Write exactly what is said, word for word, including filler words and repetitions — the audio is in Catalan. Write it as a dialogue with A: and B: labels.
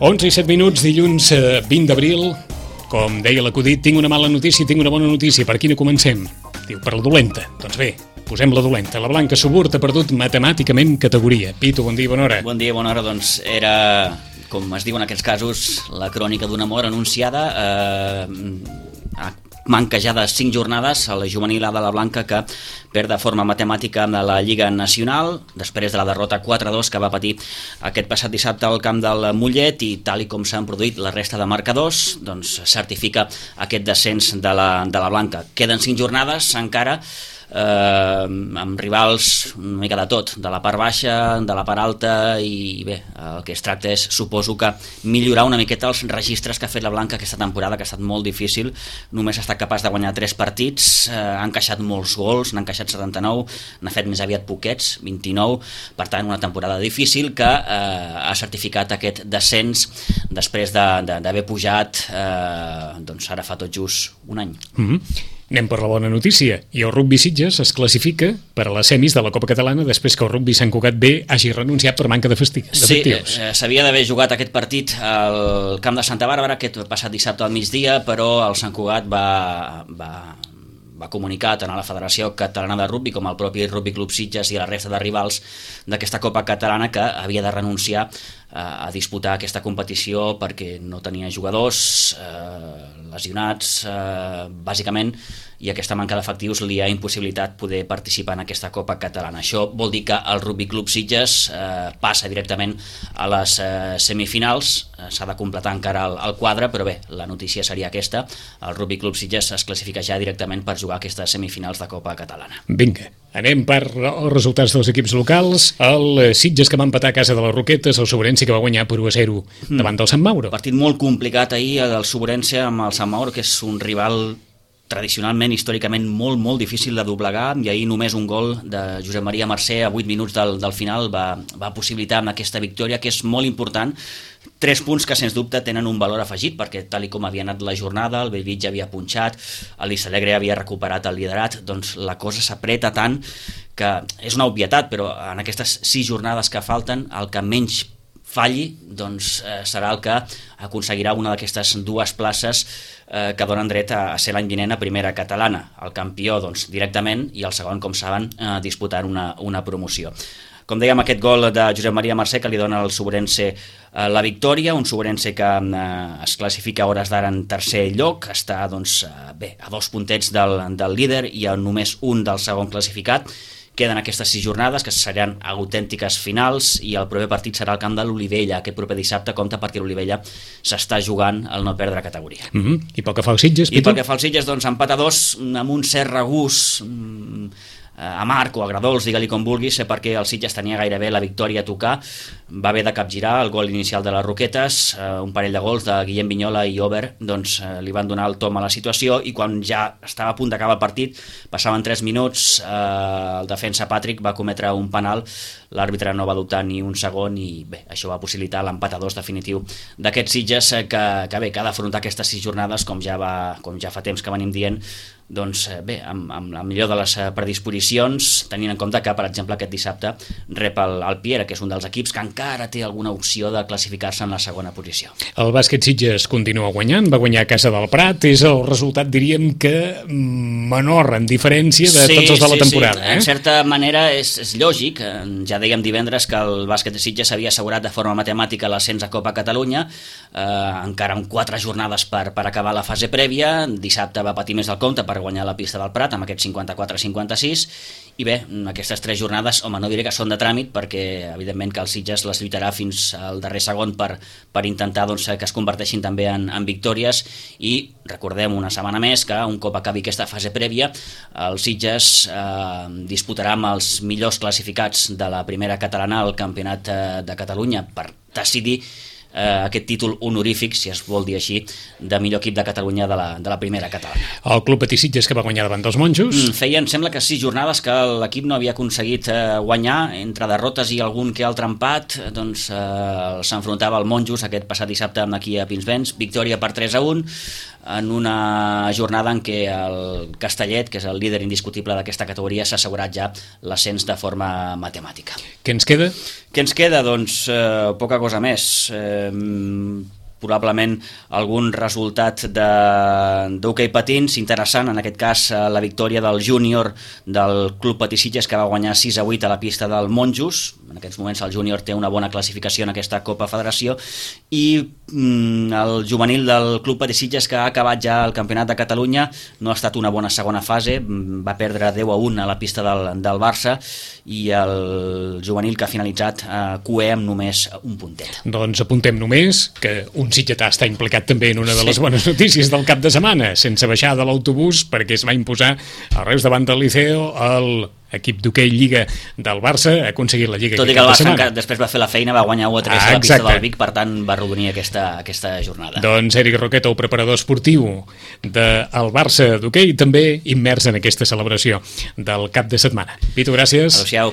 A: onze i set minuts, dilluns eh, vint d'abril. Com deia l'acudit, tinc una mala notícia i tinc una bona notícia. Per quina comencem? Diu, per la dolenta. Doncs bé, posem la dolenta. La Blanca Suburt ha perdut matemàticament categoria. Pitu, bon dia, bona hora.
B: Bon dia, bona hora. Doncs era, com es diu en aquests casos, la crònica d'una mort anunciada. Eh, manca ja de cinc jornades a la juvenil A de la Blanca, que perd de forma matemàtica a la Lliga Nacional després de la derrota quatre a dos que va patir aquest passat dissabte al camp del Mollet, i tal i com s'han produït la resta de marcadors, doncs certifica aquest descens de la, de la Blanca. Queden cinc jornades encara, eh, amb rivals una mica de tot, de la part baixa, de la part alta, i bé, el que es tracta és, suposo que millorar una miqueta els registres que ha fet la Blanca aquesta temporada, que ha estat molt difícil. Només ha estat capaç de guanyar tres partits, eh, ha encaixat molts gols, n'ha encaixat setanta-nou, n'ha fet més aviat poquets, vint-i-nou, per tant una temporada difícil que eh, ha certificat aquest descens després d'haver de, de, pujat, eh, doncs ara fa tot just un any.
A: Mm-hmm. Anem per la bona notícia, i el Rugby Sitges es classifica per a les semis de la Copa Catalana després que el Rugby Sant Cugat B hagi renunciat per manca d'efectius.
B: Sí, eh, s'havia d'haver jugat aquest partit al camp de Santa Bàrbara aquest passat dissabte al migdia, però el Sant Cugat va, va, va comunicar tant a la Federació Catalana de Rugby com al propi Rugby Club Sitges i a la resta de rivals d'aquesta Copa Catalana que havia de renunciar a disputar aquesta competició perquè no tenia jugadors, eh, lesionats, eh, bàsicament, i aquesta manca d'efectius li ha impossibilitat poder participar en aquesta Copa Catalana. Això vol dir que el Rugby Club Sitges eh, passa directament a les eh, semifinals, eh, s'ha de completar encara el, el quadre, però bé, la notícia seria aquesta, el Rugby Club Sitges es classifica ja directament per jugar aquestes semifinals de Copa Catalana.
A: Vinga, anem per els resultats dels equips locals. El Sitges, que va empatar a casa de les Roquetes, el Sobrense, que va guanyar per u a zero davant del Sant Mauro.
B: Partit molt complicat ahir del Sobrense amb el Sant Mauro, que és un rival tradicionalment, històricament, molt, molt difícil de doblegar, i ahir només un gol de Josep Maria Mercè a vuit minuts del, del final va, va possibilitar amb aquesta victòria, que és molt important. Tres punts que, sens dubte, tenen un valor afegit, perquè tal i com havia anat la jornada, el Bellvitge ja havia punxat, el Vistalegre havia recuperat el liderat, doncs la cosa s'apreta tant que és una obvietat, però en aquestes sis jornades que falten, el que menys falli doncs, eh, serà el que aconseguirà una d'aquestes dues places eh, que donen dret a, a ser l'any vinent a primera catalana. El campió doncs, directament, i el segon, com saben, eh, disputant una, una promoció. Com dèiem, aquest gol de Josep Maria Mercè que li dona al Sobrense eh, la victòria, un Sobrense que eh, es classifica a hores d'ara en tercer lloc, està doncs, eh, bé, a dos puntets del, del líder i a només un del segon classificat. Queden aquestes sis jornades, que seran autèntiques finals, i el proper partit serà al camp de l'Olivella. Aquest proper dissabte compta perquè l'Olivella s'està jugant el no perdre categoria.
A: Mm-hmm. I pel que fa al Sitges,
B: I pel que fa al Sitges, doncs, empat a dos, amb un cert regús mm, amarg o agradolç, digue-li com vulguis, perquè el Sitges tenia gairebé la victòria a tocar, va haver de capgirar el gol inicial de les Roquetes, eh, un parell de gols de Guillem Vignola i Ober, doncs eh, li van donar el tom a la situació, i quan ja estava a punt d'acabar el partit, passaven tres minuts, eh, el defensa Patrick va cometre un penal, l'àrbitre no va dubtar ni un segon, i bé, això va possibilitar l'empat a dos definitiu d'aquest Sitges, que, que bé, que ha d'afrontar aquestes sis jornades, com ja, va, com ja fa temps que venim dient, doncs bé, amb, amb la millor de les predisposicions, tenint en compte que, per exemple, aquest dissabte rep el, el Piera, que és un dels equips que encara té alguna opció de classificar-se en la segona posició.
A: El bàsquet Sitges continua guanyant, va guanyar a casa del Prat, és el resultat, diríem que menor en diferència de sí, tots els de la
B: sí,
A: temporada.
B: Sí. Eh? En certa manera és, és lògic, ja dèiem divendres que el bàsquet de Sitges havia assegurat de forma matemàtica l'ascens a Copa Catalunya, eh, encara amb quatre jornades per, per acabar la fase prèvia. Dissabte va patir més del compte per guanyar la pista del Prat amb aquest cinquanta-quatre a cinquanta-sis, i bé, aquestes tres jornades, home, no diré que són de tràmit, perquè evidentment que el Sitges les lluitarà fins al darrer segon per, per intentar doncs, que es converteixin també en, en victòries, i recordem una setmana més que un cop acabi aquesta fase prèvia, el Sitges eh, disputarà amb els millors classificats de la primera catalana al Campionat de Catalunya per decidir eh, aquest títol honorífic, si es vol dir així, de millor equip de Catalunya de la, de la primera catalana.
A: El Club Patí Sitges, que va guanyar davant dels Monjos.
B: Mm, feien, sembla que sis jornades que l'equip no havia aconseguit eh, guanyar, entre derrotes i algun que altre empat, doncs eh, s'enfrontava al Monjos aquest passat dissabte aquí a Pinsbens, victòria per tres a un, en una jornada en què el Castellet, que és el líder indiscutible d'aquesta categoria, s'ha assegurat ja l'ascens de forma matemàtica.
A: Què ens queda?
B: Què ens queda? Doncs eh, poca cosa més. Eh, probablement algun resultat d'hoquei patins interessant, en aquest cas la victòria del júnior del Club Patí Sitges, que va guanyar sis a vuit a la pista del Monjos. En aquests moments el júnior té una bona classificació en aquesta Copa Federació, i mm, el juvenil del Club Patí Sitges, que ha acabat ja el Campionat de Catalunya, no ha estat una bona segona fase, va perdre deu a un a la pista del, del Barça, i el juvenil que ha finalitzat a Q E amb només un puntet.
A: Doncs apuntem només que un sitgetà està implicat també en una de les sí. bones notícies del cap de setmana, sense baixar de l'autobús, perquè es va imposar a Reus davant del Liceo el equip d'hoquei Lliga del Barça, ha aconseguit la Lliga.
B: Tot i que el Barça després va fer la feina, va guanyar u a tres ah, a la pista del Vic, per tant va arrodonir aquesta, aquesta jornada.
A: Doncs Eric Roqueta, el preparador esportiu del Barça d'hoquei, també immers en aquesta celebració del cap de setmana. Pitu, gràcies.
B: Adéu-siau.